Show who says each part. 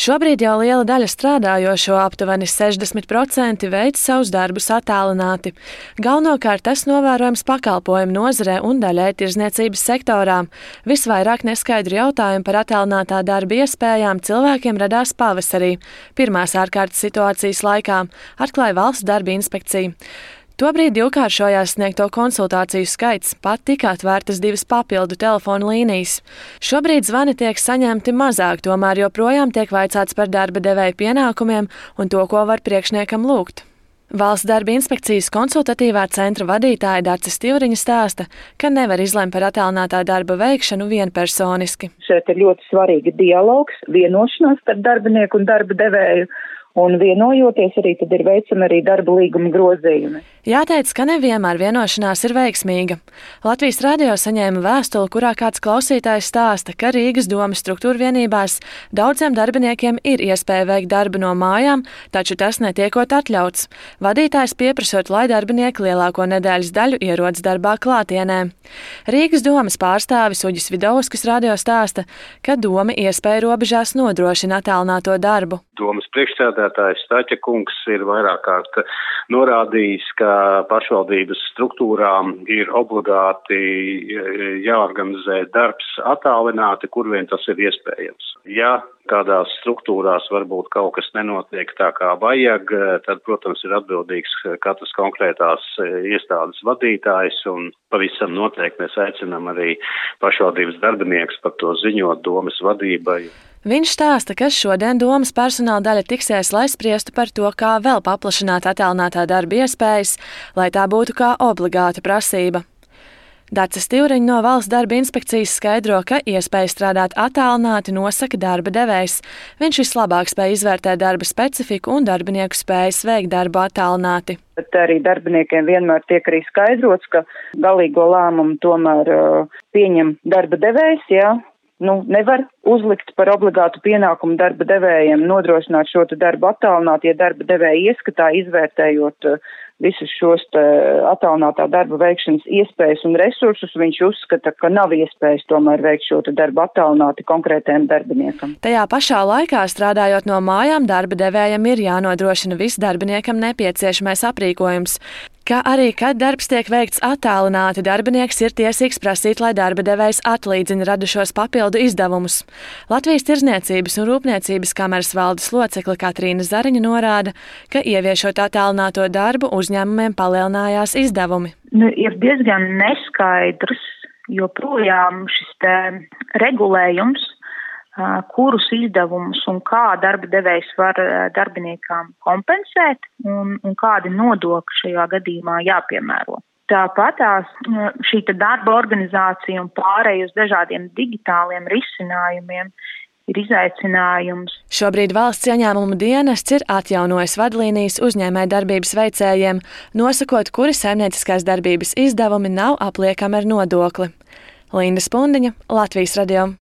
Speaker 1: Šobrīd jau liela daļa strādājošo, aptuveni 60%, veic savus darbus attālināti. Galvenokārt tas novērojams pakalpojumu nozarē un daļai tirdzniecības sektorā. Visvairāk neskaidru jautājumu par attālinātā darba iespējām cilvēkiem radās pavasarī, pirmās ārkārtas situācijas laikā, atklāja Valsts darba inspekcija. Tobrīd divkāršojās sniegto konsultāciju skaits, pat tika atvērtas 2 papildu telefonu līnijas. Šobrīd zvani tiek saņemti mazāk, tomēr joprojām tiek vaicāts par darba devēja pienākumiem un to, ko var priekšniekam lūgt. Valsts darba inspekcijas konsultatīvā centra vadītāja Dace Stivriņa stāsta, ka nevar izlemt par attālinātā darba veikšanu vienpersoniski.
Speaker 2: Šeit ir ļoti svarīga dialogs, vienošanās starp darbinieku un darba devēju. Un vienojoties arī tad ir veicami arī darba līguma grozījumi.
Speaker 1: Jāteic, ka nevienmēr vienošanās ir veiksmīga. Latvijas radio saņēma vēstuli, kurā kāds klausītājs stāsta, ka Rīgas domas struktūrvienībās daudziem darbiniekiem ir iespēja veikt darbu no mājām, taču tas netiekot atļauts. Vadītājs pieprasot, lai darbinieki lielāko nedēļas daļu ierodas darbā klātienē. Rīgas domas pārstāvis Uģis Vidovskis radio stāsta, ka doma iespēja robežās nodrošina attālināto darbu.
Speaker 3: Domas priekšsēdētājs Staķa kungs ir vairāk kārt norādījis, ka pašvaldības struktūrām ir obligāti jāorganizē darbs attālināti, kur vien tas ir iespējams. Ja kādās struktūrās varbūt kaut kas nenotiek tā kā vajag, tad, protams, ir atbildīgs katras konkrētās iestādes vadītājs, un pavisam noteikti mēs aicinām arī pašvaldības darbiniekus par to ziņot domas vadībai.
Speaker 1: Viņš stāsta, ka šodien domas personāla daļa tiksies, lai spriestu par to, kā vēl paplašināt attālinātā darba iespējas, lai tā būtu kā obligāta prasība. Dace Stivriņa no Valsts darba inspekcijas skaidro, ka iespēja strādāt attālināti nosaka darba devējs. Viņš vislabāk spēj izvērtēt darba specifiku un darbinieku spējas veikt darbu attālināti.
Speaker 2: Bet arī darbiniekiem vienmēr tiek arī skaidrots, ka galīgo lēmumu tomēr pieņem darba devējs, jā. Nevar uzlikt par obligātu pienākumu darba devējiem nodrošināt šo darbu attālināt, ja darba devēja ieskatā izvērtējot visus šos attālinātā darba veikšanas iespējas un resursus, viņš uzskata, ka nav iespējas tomēr veikt šo darbu attālināti konkrētajam darbiniekam.
Speaker 1: Tajā pašā laikā, strādājot no mājām, darba devējam ir jānodrošina viss darbiniekam nepieciešamais aprīkojums. Kā arī, kad darbs tiek veikts attālināti, darbinieks ir tiesīgs prasīt, lai darba devējs atlīdzina radušos papildu izdevumus. Latvijas Tirdzniecības un Rūpniecības kameras valdes locekle Katrīna Zariņa norāda, ka ieviešot attālināto darbu uzņēmumiem palielinājās izdevumi.
Speaker 4: Ir diezgan neskaidrs joprojām šis regulējums, kurus izdevumus un kā darba devējs var darbiniekam kompensēt un kādi nodokļi šajā gadījumā jāpiemēro. Tāpat šī darba organizācija un pārēj uz dažādiem digitāliem risinājumiem ir izaicinājums.
Speaker 1: Šobrīd Valsts ieņēmumu dienests ir atjaunojis vadlīnijas uzņēmējdarbības veicējiem, nosakot, kuri saimnieciskās darbības izdevumi nav apliekami ar nodokli. Linda Spundiņa, Latvijas radio.